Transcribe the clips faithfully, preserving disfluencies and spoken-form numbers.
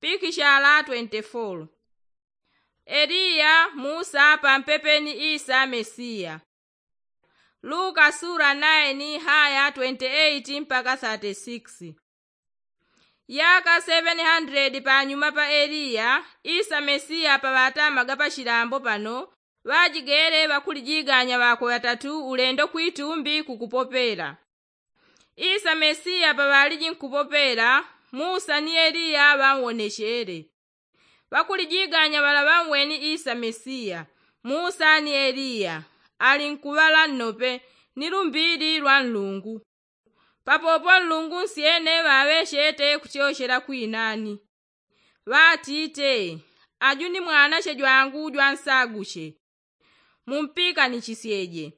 pikishala twenti folo. Eliya, musa pampepe ni isa mesiya. Luka sula naini haya twenti eiti mpaka thati sikisi. Yaka seveni handiledi panyuma pa eliya, isa mesiya paŵatamaga pachilambo pano, ŵajigele ŵakulijiganya ŵakwe ŵatatu ulendo kwitumbi kukupopela. Isa mesiya paŵaliji nkupopela, musa ni eliya ŵanwonechele. Ŵakulijiganya ŵala ŵanweni isa mesiya, musa ni eliya, ali nkuŵala nnope ni lumbili lwa nlungu. Papopo nlungu nsyene ŵaŵechete kutyochela kwinani, ŵatite, aju ni mwanache jwangu jwansaguche, mumpikanishesyeje.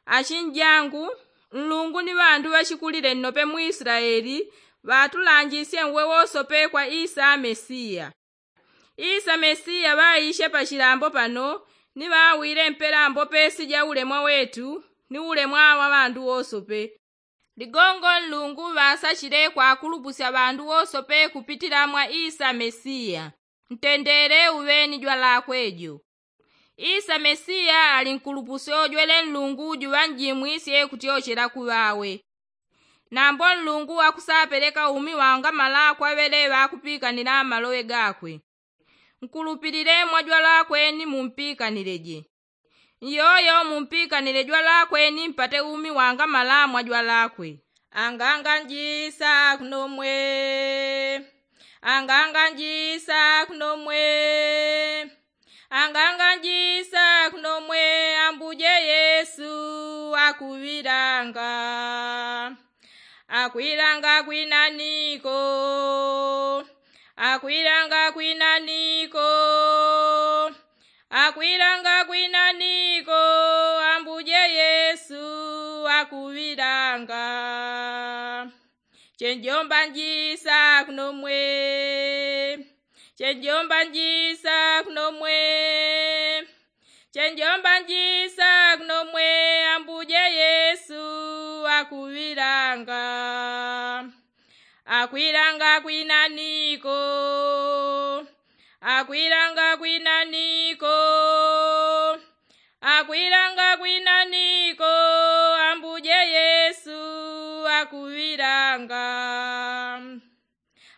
Achinjangu, nlungu ni ŵandu ŵachikulile nnope mu isilaeli ŵatulanjisye nwe wosope kwa isa mesiya. Isa mesiya ŵaiche pachilambo pano, ni ŵawile mpela mbope sija ulemwa wetu ni ulemwa wa ŵandu wosope. Ligongo nlungu ŵasachile kwakulupusya ŵandu wosope kupitila mwa isa mesiya. Ntendele uŵeni jwalakwe jo. Isa mesiya ali nkulupusyo jwele nlungu juŵanjimwisye kutyochela kuŵawe. Nambo nlungu akusapeleka umi wangamala kwa ŵele ŵakupikanila maloŵe gakwe. Nkulupilile mwa jwalakwe ni mumpikanile je. Nyoyo mumpikanile jwalakwe ni mpate umi wangamala mwa jwalakwe. Anganganjisa kunomwe, anganganjisa kunomwe, anganganjisa kunomwe, ambuje yesu akuŵilanga. Akwilanga kwinaniko, akwilanga kwinaniko, akwilanga kwinaniko, ambuje yesu akuŵilanga. Chenjomba njisa kunomwe, chenjomba njisa kunomwe, chenjomba njisa kunomwe, ambuje yesu akuŵilanga. Akwilanga kwinaniko, akwilanga kwinaniko, akwilanga kwinaniko, ambuje yesu akuŵilanga.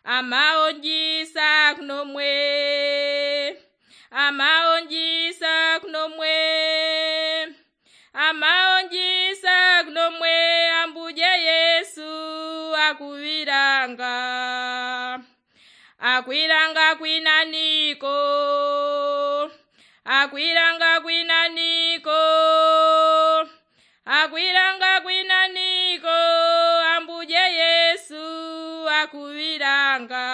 Amaonjisa kunomwe, amaonjisa kunomwe, amaonjisa kunomwe, ambuje yesu akuŵilanga. Akwilanga kwinaniko, akwilanga kwinaniko, akwilanga kwinaniko, ambuje yesu akuŵilanga.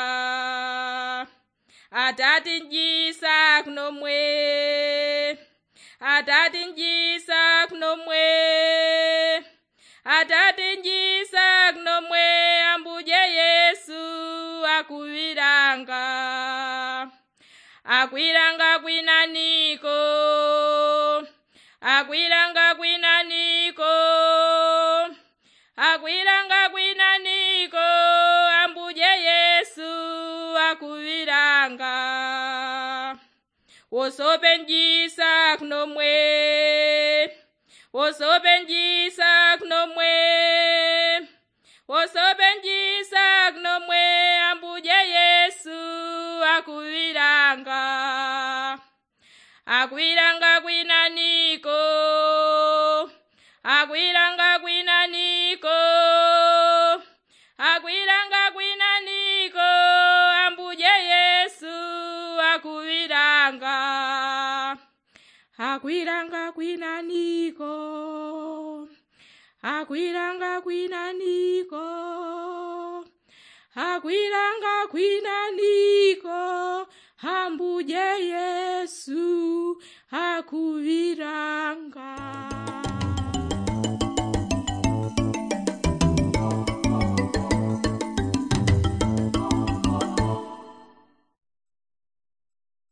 Atati njisa kunomwe, atati njisa kunomwe, atati njisa kunomwe, ambuje yesu akuŵilanga. Akwilanga kwinaniko, akwilanga kwinaniko, akwilanga kwinaniko, ambuje yesu akuŵilanga. Wosope njisa kunomwe, wosope njisa kunomwe, wosope njisa kunomwe, ambuje yesu akuŵilanga. Akwilanga kwinaniko, akwilanga kwinaniko, akwilanga kwinaniko, ambuje yesu akuŵilanga. Akwilanga kwinaniko, akwilanga kwinaniko, akwilanga kwinaniko, ambuje yesu akuŵi